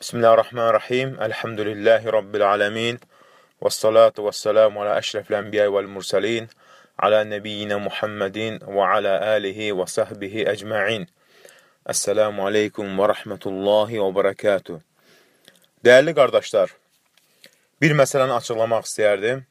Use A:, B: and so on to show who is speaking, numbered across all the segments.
A: Bismillahirrahmanirrahim. Elhamdülillahi Rabbil alemin. Vessalatu vesselamu ala eşrefil enbiya vel mursalin. Ala nebiyyina Muhammedin ve ala alihi ve sahbihi ecma'in. Esselamu aleykum ve rahmetullahi ve berekatuhu. Değerli qardaşlar, bir məsələni açıqlamaq istəyərdim.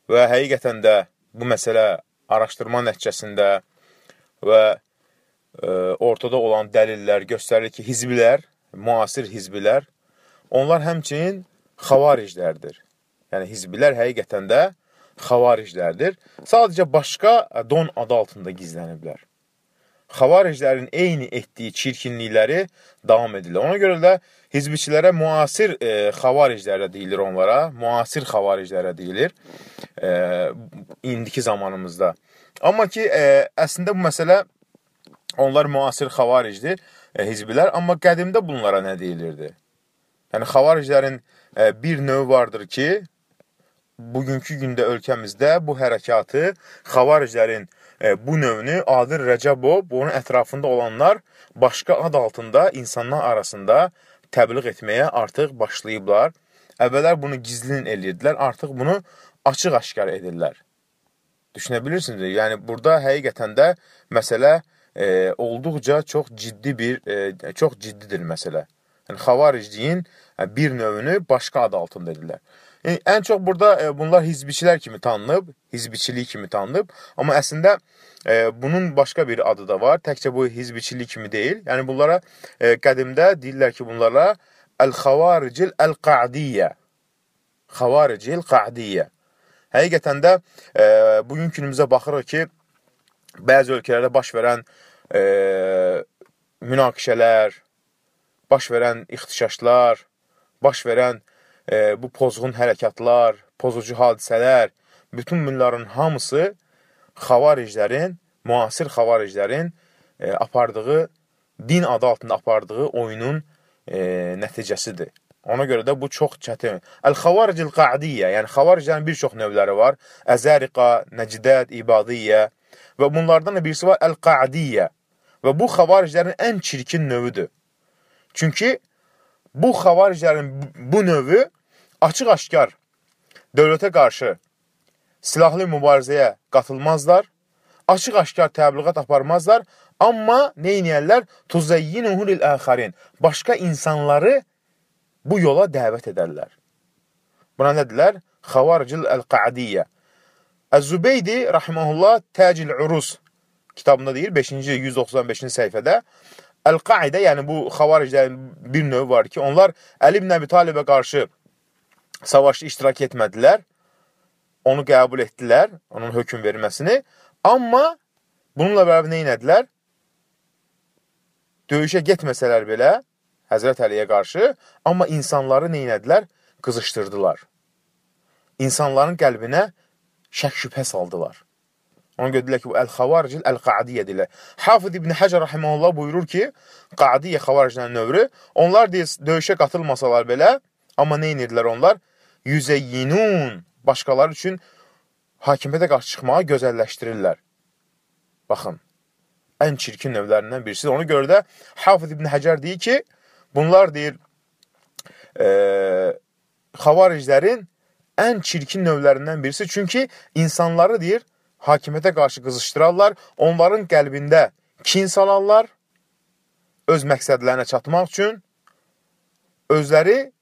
A: Və həqiqətən də bu məsələ araşdırma nəticəsində və ortada olan dəlillər göstərir ki, hizbilər, müasir hizbilər, onlar həmçinin xavariclərdir. Yəni, hizbilər həqiqətən də xavariclərdir. Sadəcə başqa don adı altında gizləniblər. Xavariclərin eyni etdiyi çirkinlikləri davam edirlər. Ona görə də hizbiçilərə müasir xavariclərə deyilir onlara. Müasir xavariclərə deyilir indiki zamanımızda. Amma ki, əslində bu məsələ onlar müasir xavaricdir, hizbilər, amma qədimdə bunlara nə deyilirdi? Yəni, xavariclərin bir növü vardır ki, bugünkü gündə ölkəmizdə bu hərəkatı, xavariclərin bu növünü Adil Rəcəbov, bunun ətrafında olanlar başqa ad altında insanlar arasında təbliğ etməyə artıq başlayıblar. Əvvəllər bunu gizlin edirdilər, artıq bunu açıq-aşkar edirlər. Düşünə bilirsiniz, yəni burada həqiqətən də məsələ olduqca çox ciddidir məsələ. Yəni, xavaricliyin bir növünü başqa ad altında edirlər. Yəni, ən çox burada bunlar hizbiçilər kimi tanınıb, hizbiçilik kimi tanınıb, amma əslində bunun başqa bir adı da var, təkcə bu hizbiçilik kimi deyil. Yəni, bunlara qədimdə deyirlər ki, bunlara Əl-Xavaricil Əl-Qa'diyyə, Xavaricil Qa'diyyə. Həqiqətən də bugün günümüzə baxırıq ki, bəzi ölkələrdə baş verən münaqişələr, baş verən ixtişaşlar, baş verən bu pozğun hərəkatlar, pozucu hadisələr, bütün bunların hamısı xavariclərin, müasir xavariclərin apardığı, din adı altında apardığı oyunun nəticəsidir. Ona görə də bu çox çətin. Əl-Xavaricil Qa'diyyə, yəni xavariclərin bir çox növləri var. Əzəriqa, Nəcdəd, İbadiyyə və bunlardan da birisi var Əl-Qa'diyyə. Və bu xavariclərin ən çirkin növüdür. Çünki bu xavariclərin bu növü açıq-aşkar dövlətə qarşı silahlı mübarizəyə qatılmazlar, açıq-aşkar təbliğat aparmazlar, amma neyniyərlər? Tuzayyinuhu lil-əxərin. Başqa insanları bu yola dəvət edərlər. Buna nədirlər? Xavaricil Əl-Qa'diyyə. Əz-Zübeydi, rahiməhullah, Təcil Urus kitabında deyir, 5-ci, 195-ci səhifədə, Əl-Qaidə, yəni bu xavariclərin bir növü var ki, onlar Əli ibn Əbi Talibə qarşı savaşda iştirak etmədilər, onu qəbul etdilər, onun hökm verilməsini, amma bununla bərabər neynədilər? Döyüşə getməsələr belə, Həzrət Əliyə qarşı, amma insanları neynədilər? Qızışdırdılar. İnsanların qəlbinə şək-şübhə saldılar. Ona görə deyilər ki, bu Əl-Xavaricil Əl-Qa'diyyə deyilər. Hafid ibn Həcər rahiməhullah buyurur ki, Qa'diyyə xavariclərin növrü, onlar döyüşə qatılmasalar belə, amma neynədilər onlar? Yüzəyyinun, başqaları üçün hakimiyyətə qarşı çıxmağı gözəlləşdirirlər. Baxın, ən çirkin növlərindən birisidir. Ona görə də Hafid ibn Həcər deyir ki, bunlar deyir, xavariclərin ən çirkin növlərindən birisi. Çünki insanları deyir, hakimiyyətə qarşı qızışdırarlar, onların qəlbində kin salarlar, öz məqsədlərinə çatmaq üçün, özləri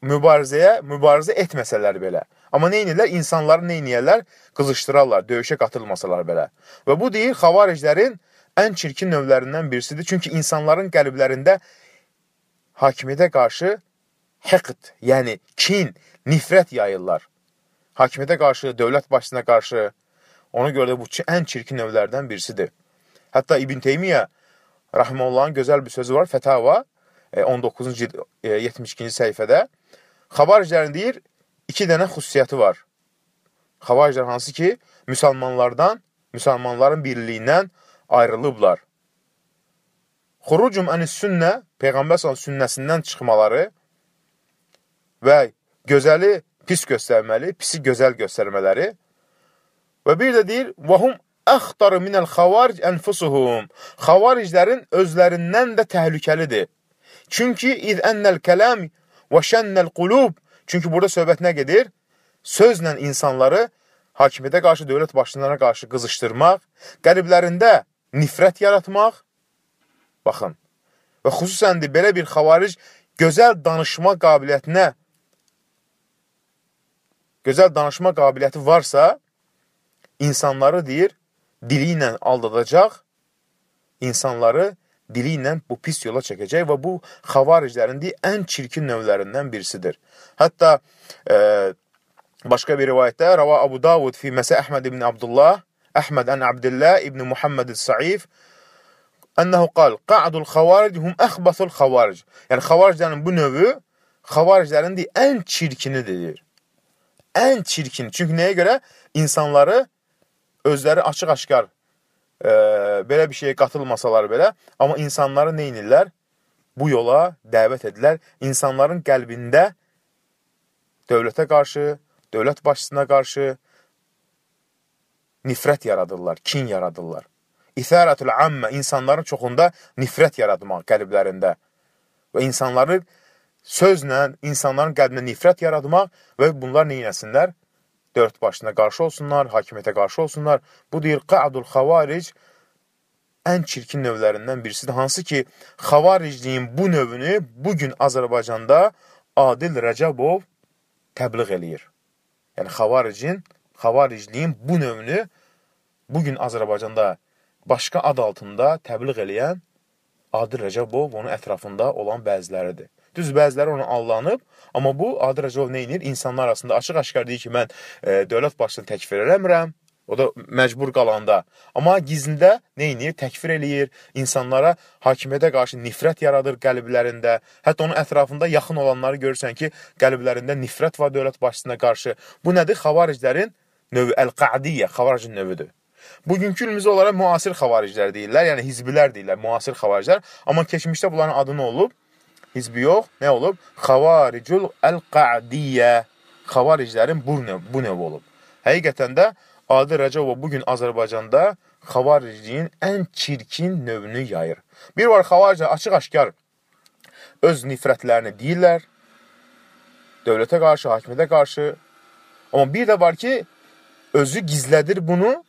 A: mübarizə etməsələr belə. Amma neynirlər? İnsanları neyniyərlər? Qızışdırarlar, döyüşə qatılmasalar belə. Və bu deyir, xavariclərin ən çirkin növlərindən birisidir. Çünki insanların qəlblərində hakimiyyətə qarşı həqd, yəni kin, nifrət yayırlar. Hakimiyyətə qarşı, dövlət başçısına qarşı, ona görə də bu ən çirkin növlərdən birisidir. Hətta İbn Teymiyyə rahiməhullahın gözəl bir sözü var, Fətava, 19-cu 72-ci səhifədə. Xavariclərin deyir, iki dənə xüsusiyyəti var. Xavariclər hansı ki, müsəlmanların birliyindən ayrılıblar. Xurucum ənis-sünnə, Peyğəmbər sünnəsindən çıxmaları və gözəli pis göstərməli, pisi gözəl göstərmələri və bir də deyir, vahum əxtarı minəl xavaric ənfusuhum. Xavariclərin özlərindən də təhlükəlidir. Çünki iz ennel kəlam və şənnel qulub. Çünki burada söhbət nə gedir? Sözlə insanları hakimiyyətə qarşı, dövlət başçılarına qarşı qızışdırmaq, qəlblərində nifrət yaratmaq. Baxın, və xüsusən də belə bir xavaric gözəl danışma qabiliyyəti varsa, insanları deyir, dili ilə aldadacaq, insanları dili ilə bu pis yola çəkəcək və bu xavariclərin ən çirkin növlərindən birisidir. Hətta başqa bir rivayətdə Rava Abu Davud fi Məsə Əhməd ibn Abdullah, Əhməd ən Abdillah ibn Muhammed Saif, ənəhu qal, qa'dul xavaric hum əxbəsul xavaric. Yəni, xavariclərin bu növü, xavariclərin ən çirkinidir. Ən çirkin. Çünki nəyə görə? İnsanları özləri açıq-aşkar belə bir şeyə qatılmasalar belə, amma insanları nə edirlər? Bu yola dəvət edirlər. İnsanların qəlbində dövlətə qarşı, dövlət başçısına qarşı nifrət yaradırlar, kin yaradırlar. İthərətül ammə, insanların çoxunda nifrət yaratmaq qəlblərində və insanları sözlə, insanların qəlbində nifrət yaratmaq və bunlar neynəsinlər? Dövlət başçısına qarşı olsunlar, hakimiyyətə qarşı olsunlar. Bu deyir, qa'dul xavaric ən çirkin növlərindən birisidir. Hansı ki, xavaricliyin bu növünü bugün Azərbaycanda Adil Rəcəbov təbliğ eləyir. Yəni, xavaricliyin bu növünü bugün Azərbaycanda başqa ad altında təbliğ eləyən Adil Rəcəbov onun ətrafında olan bəziləridir. Düz bəziləri ona allanıb, amma bu Adil Rəcəbov nə edir? İnsanlar arasında açıq-aşkar deyir ki, mən dövlət başçısını təkfir eləmirəm, o da məcbur qalanda. Amma gizlində nə edir? Təkfir eləyir, insanlara hakimiyyətə qarşı nifrət yaradır qəlblərində. Hətta onun ətrafında yaxın olanları görürsən ki, qəlblərində nifrət var dövlət başçısına qarşı. Bu nədir? Xavariclərin növü, əl-qa'diyyə, xavaricin növüdür. Bugünkü günümüzdə onlara müasir xavariclər deyirlər, yəni hizbilər deyirlər, müasir xavariclər. Amma keçmişdə bunların adı nə olub? Hizbi yox, nə olub? Xavaricul əl-qa'diyyə. Xavariclərin bu növ olub. Həqiqətən də Adil Rəcəbov bugün Azərbaycanda xavaricliyin ən çirkin növünü yayır. Bir var, xavariclər açıq-aşkar öz nifrətlərini deyirlər, dövlətə qarşı, hakimiyyətə qarşı. Amma bir də var ki, özü gizlədir bunu,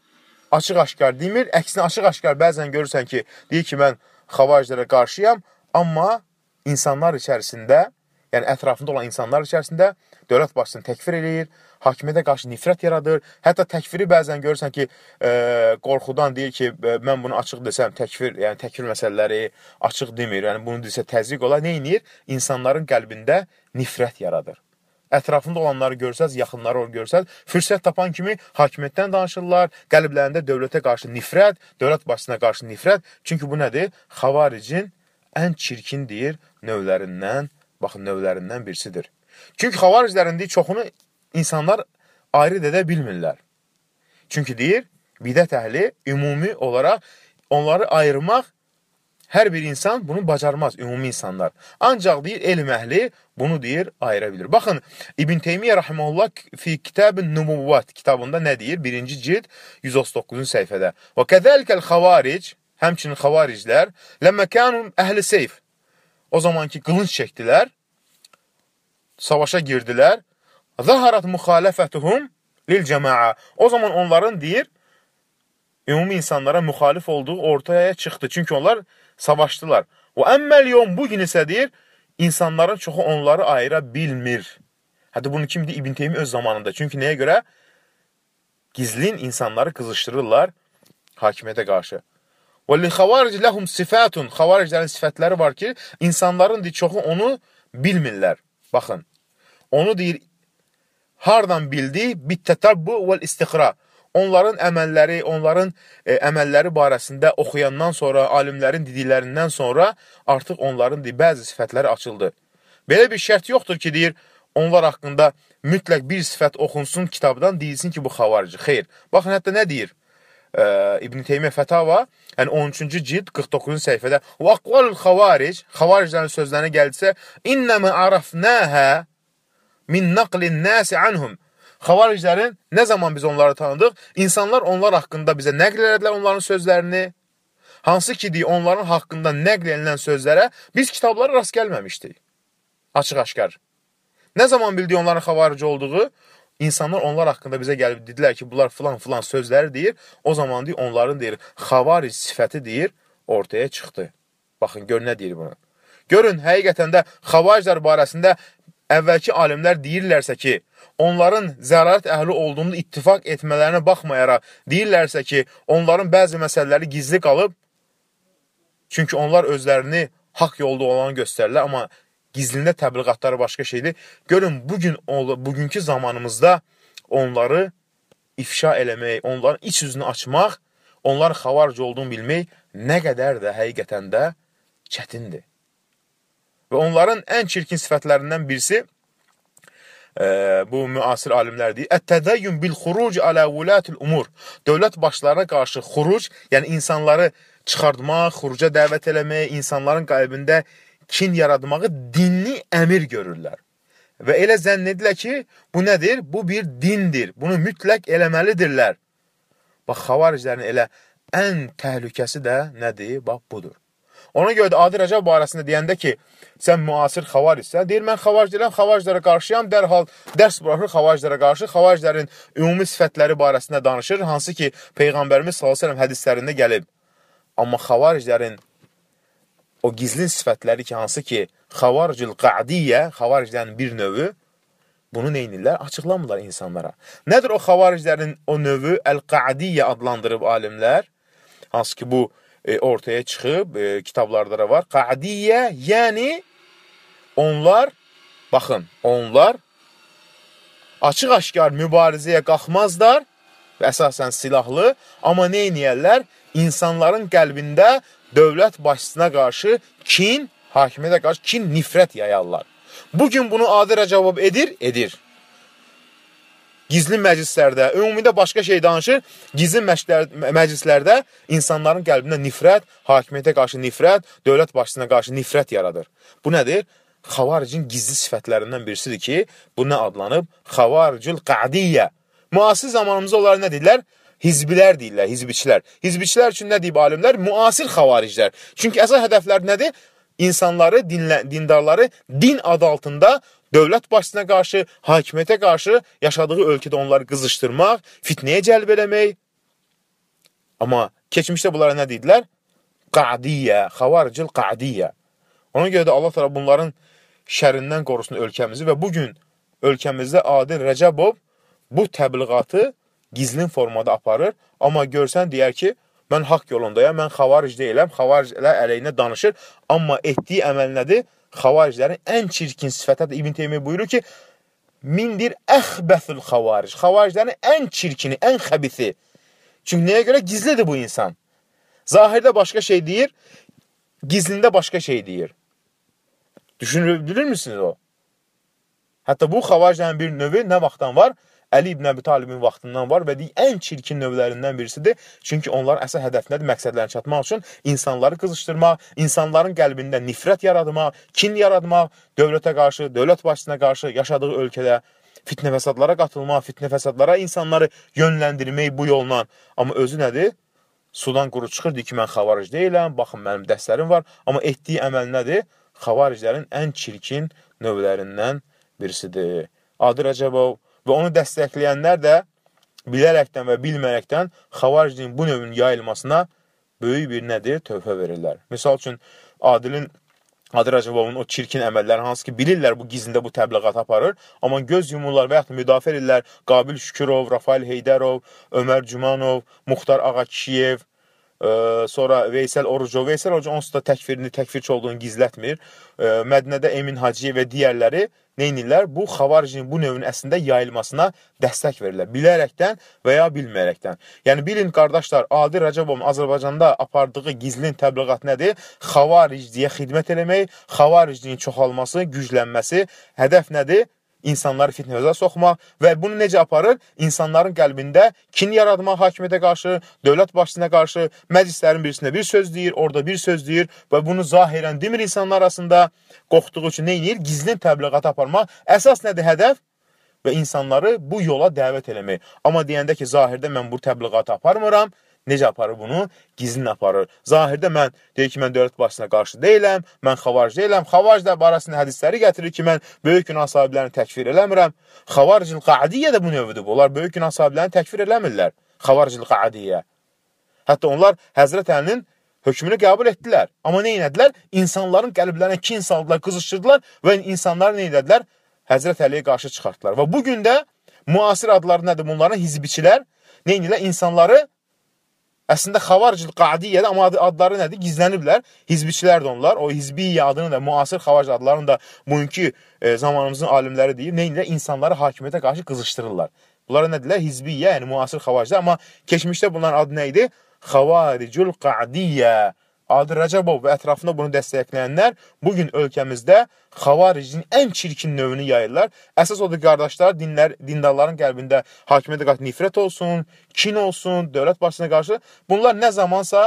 A: açıq-aşkar demir. Əksinə açıq-aşkar bəzən görürsən ki, deyir ki, mən xavariclərə qarşıyam, amma insanlar içərisində, yəni ətrafında olan insanlar içərisində dövlət başçısını təkfir eləyir, hakimiyyətə qarşı nifrət yaradır. Hətta təkfiri bəzən görürsən ki, qorxudan deyir ki, mən bunu açıq desəm, yəni təkfir məsələləri açıq demir, yəni bunu desə təzyiq olar. Nə edir? İnsanların qəlbində nifrət yaradır. Ətrafında olanları görsəz, yaxınları görsəz, fürsət tapan kimi hakimiyyətdən danışırlar, qəlblərində dövlətə qarşı nifrət, dövlət başçısına qarşı nifrət. Çünki bu nədir? Xavaricin ən çirkin deyir növlərindən, baxın, növlərindən birisidir. Çünki xavariclərin çoxunu insanlar ayrı edə bilmirlər. Çünki deyir, bidət əhli ümumi olaraq onları ayırmaq, hər bir insan bunu bacarmaz, ümumi insanlar. Ancaq deyir, elm əhli bunu deyir, ayıra bilir. Baxın, İbn Teymiyyə Rahiməhullah fi Kitab-ı Nubuvvat kitabında nə deyir? 1-ci cild 139-cu səhifədə. Və kəzəlikəl xavaric, həmçinin xavariclər, ləmməkənun əhli seyf. O zaman ki, qılınc çəkdilər, savaşa girdilər, zəharat müxalifətuhum lil cəmaə. O zaman onların deyir, ümumi insanlara müxalif olduğu ortaya çıxdı. Çünki onlar savaşdılar. Və əmməl yom, bugün isə deyir, insanların çoxu onları ayıra bilmir. Hətta bunu kim deyir? İbn Teymiyyə öz zamanında. Çünki nəyə görə? Gizlin insanları qızışdırırlar hakimiyyətə qarşı. Və li-xavaric ləhum sifatun. Xavariclərin sifətləri var ki, insanların çoxu onu bilmirlər. Baxın, onu deyir, hardan bildi? Bit-tətabbu vəl-istiqra. Onların əməlləri barəsində oxuyandan sonra, alimlərin dediklərindən sonra artıq onların bəzi sifətləri açıldı. Belə bir şərt yoxdur ki, deyir, onlar haqqında mütləq bir sifət oxunsun kitabdan, deyilsin ki, bu xavarici. Xeyr. Baxın, hətta nə deyir? İbn Teymiyyə Fətava, yəni 13-cü cild 49-cu səhifədə və aqvalul xavaric, xavariclərin sözlərinə gəldisə, innəmə arafnəhə min naqlin nəsi anhum. Xavariclərin nə zaman biz onları tanıdıq? İnsanlar onlar haqqında bizə nəql elədilər onların sözlərini. Hansı ki, onların haqqında nəql edilən sözlərə biz kitablara rast gəlməmişdik. Açıq-aşkar. Nə zaman bildik onların xavarici olduğu? İnsanlar onlar haqqında bizə gəlib dedilər ki, bunlar filan sözləri deyir. O zaman onların deyir, xavaric sifəti deyir, ortaya çıxdı. Baxın, gör nə deyir bunu. Görün, həqiqətən də xavariclər barəsində əvvəlki alimlər deyirlərsə ki, onların zərarət əhli olduğunu ittifaq etmələrinə baxmayaraq, deyirlərsə ki, onların bəzi məsələləri gizli qalıb, çünki onlar özlərini haqq yolda olanı göstərirlər, amma gizlində təbliğatları başqa şeydir. Görün, bugünkü zamanımızda onları ifşa eləmək, onların iç yüzünü açmaq, onların xavaric olduğunu bilmək nə qədər də həqiqətən də çətindir. Və onların ən çirkin sifətlərindən birisi, bu müasir alimlər deyir, ət-tədəyyün bil-xuruc alə vulatil umur. Dövlət başlarına qarşı xuruc, yəni insanları çıxartmaq, xuruca dəvət eləmək, insanların qəlbində kin yaratmağı dinli əmir görürlər. Və elə zənn edirlər ki, bu nədir? Bu bir dindir. Bunu mütləq eləməlidirlər. Bax, xavariclərin elə ən təhlükəsi də nədir? Bax, budur. Ona görə də Adi Rəcəb barəsində deyəndə ki, sən müasir xavaricsən, deyir, mən xavariclərə qarşıyam, dərhal dərs buraxır xavariclərə qarşı, xavariclərin ümumi sifətləri barəsində danışır, hansı ki, Peyğəmbərimiz s.ə.v hədislərində gəlib. Amma xavariclərin o gizlin sifətləri ki, hansı ki, xavaricül qa'diyyə, xavariclərin bir növü, bunu neynirlər? Açıqlamırlar insanlara. Nədir o xavariclərin o növü? Əl-qa'diyyə adlandırıb alimlər, hansı ki, bu ortaya çıxıb, kitablarda da var. Qa'diyyə, yəni onlar, baxın, onlar açıq-aşkar mübarizəyə qalxmazlar və əsasən silahlı, amma neyniyərlər? İnsanların qəlbində dövlət başçısına qarşı kin, hakimiyyətə qarşı kin, nifrət yayarlar. Bugün bunu Adi Rəcəb edir. Gizli məclislərdə, ümumidə başqa şey danışır, gizli məclislərdə insanların qəlbində nifrət, hakimiyyətə qarşı nifrət, dövlət başçısına qarşı nifrət yaradır. Bu nədir? Xavaricin gizli sifətlərindən birisidir ki, bu nə adlanıb? Xavaricül qa'diyyə. Müasir zamanımızda onlara nə deyirlər? Hizbilər deyirlər, hizbiçilər. Hizbiçilər üçün nə deyib alimlər? Müasir xavariclər. Çünki əsas hədəflər nədir? İnsanları, dindarları din adı altında dövlət başçısına qarşı, hakimiyyətə qarşı yaşadığı ölkədə onları qızışdırmaq, fitnəyə cəlb eləmək. Amma keçmişdə bunlara nə deyirlər? Qa'diyyə, xavaricil qa'diyyə. Ona görə də Allah təala bunların şərindən qorusun ölkəmizi və bugün ölkəmizdə Adi Rəcəbov bu təbliğatı gizlin formada aparır. Amma görsən deyər ki, mən haqq yolundayam, mən xavaric deyiləm, xavariclər əleyhinə danışır. Amma etdiyi əməl nədir? Xavariclərin ən çirkin sifətədir. İbn Teymiyyə buyurur ki, mindir əxbəthül xavaric. Xavariclərin ən çirkini, ən xəbisi. Çünki nəyə görə? Gizlidir bu insan. Zahirdə başqa şey deyir, gizlində başqa şey deyir. Düşünür müsünüz o? Hətta bu xavariclərin bir növü nə vaxtdan var? Əli ibn Əbi Talibin vaxtından var və ən çirkin növlərindən birisidir. Çünki onların əsas hədəfindədir məqsədlərini çatmaq üçün insanları qızışdırmaq, insanların qəlbində nifrət yaratmaq, kin yaratmaq, dövlətə qarşı, dövlət başçısına qarşı yaşadığı ölkədə fitnə fəsadlara qatılmaq, fitnə fəsadlara insanları yönləndirmək bu yolla. Amma özü nədir? Sudan quru çıxır, deyir ki, mən xavaric deyiləm, baxın, mənim dərslərim var. Amma etdiyi əməl nədir? Xavariclərin ən çirkin növlərindən birisidir. Adi Rəcəbov və onu dəstəkləyənlər də bilərəkdən və bilmərəkdən xavaricin bu növün yayılmasına böyük bir nədir? Tövhə verirlər. Misal üçün, Adi Rəcəbovun o çirkin əməlləri, hansı ki, bilirlər bu gizlində bu təbliğat aparır, amma göz yumurlar və yaxud müdafiə edirlər Qabil Şükürov, Rafael Heydərov, Ömər Cümanov, Muxtar Ağakişiyev, sonra Veysel Orucov. Veysel Orucov onsuz da təkfirçi olduğunu gizlətmir. Mədinədə Emin Hacıyev və digərləri neynirlər? Bu xavaricin bu növün əslində yayılmasına dəstək verirlər. Bilərəkdən və ya bilməyərəkdən. Yəni, bilin, qardaşlar, Adi Rəcəbovun Azərbaycanda apardığı gizlin təbliğat nədir? Xavaricliyə xidmət eləmək, xavaricliyin çoxalması, güclənməsi. Hədəf nədir? İnsanları fitnəyə soxmaq və bunu necə aparır? İnsanların qəlbində kin yaratmaq hakimiyyətə qarşı, dövlət başçısına qarşı, məclislərin birisində bir söz deyir, orada bir söz deyir və bunu zahirən demir insanlar arasında qorxduğu üçün neynir? Gizlin təbliğat aparmaq. Əsas nədir hədəf? və insanları bu yola dəvət eləmək. Amma deyəndə ki, zahirdə mən bu təbliğatı aparmıram, necə aparır bunu? Gizlin aparır. Zahirdə mən deyir ki, mən dövlət başçısına qarşı deyiləm, mən xavaric deyiləm. Xavaric də barəsində hədisləri gətirir ki, mən böyük günah sahiblərini təkfir eləmirəm. Xavaricil qadiyyə də bu növüdür. Onlar böyük günah sahiblərini təkfir eləmirlər. Xavaricil qadiyyə. Hətta onlar Həzrət Əlinin hökmünü qəbul etdilər. Amma nə etdilər? İnsanların qəlblərinə kin saldılar, qızışdırdılar və insanlar nə etdilər? Həzrət Əliyə qarşı çıxartdılar. Və bugün də müasir adları nədir? Bunların hizbiçilər nə edirlər? İnsanları əslində xavaricil qadiyyədə, amma adları nədir? Gizləniblər. Hizbiçilər də onlar. O hizbiyyə adını da, müasir xavaric adlarını da bugünkü zamanımızın alimləri deyib. Nə edirlər? İnsanları hakimiyyətə qarşı qızışdırırlar. Bunlara nədirlər? Hizbiyyə, yəni müasir xavariclər. Amma keçmişdə bunların adı nə idi? Xavaricul qadiyyə. Adı Rəcəbov və ətrafında bunu dəstəkləyənlər bugün ölkəmizdə xavaricin ən çirkin növünü yayırlar. Əsas odur, qardaşlar, dindarların qəlbində hakimiyyətə qarşı nifrət olsun, kin olsun, dövlət başçısına qarşı. Bunlar nə zamansa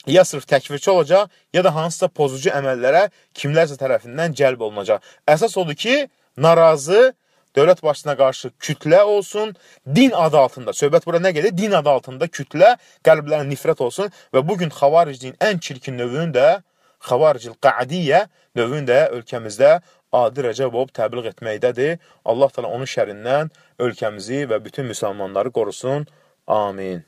A: ya sırf təkfirçi olacaq, ya da hansısa pozucu əməllərə kimlərsə tərəfindən cəlb olunacaq. Əsas odur ki, narazı dövlət başçısına qarşı kütlə olsun, din adı altında, söhbət bura nə gedir? Din adı altında kütlə, qəlblərə nifrət olsun və bugün xavaricin ən çirkin növünün də, xavaricil qadiyyə növünün də ölkəmizdə Adi Rəcəbov təbliğ etməkdədir. Allah təala onun şərindən ölkəmizi və bütün müsəlmanları qorusun. Amin.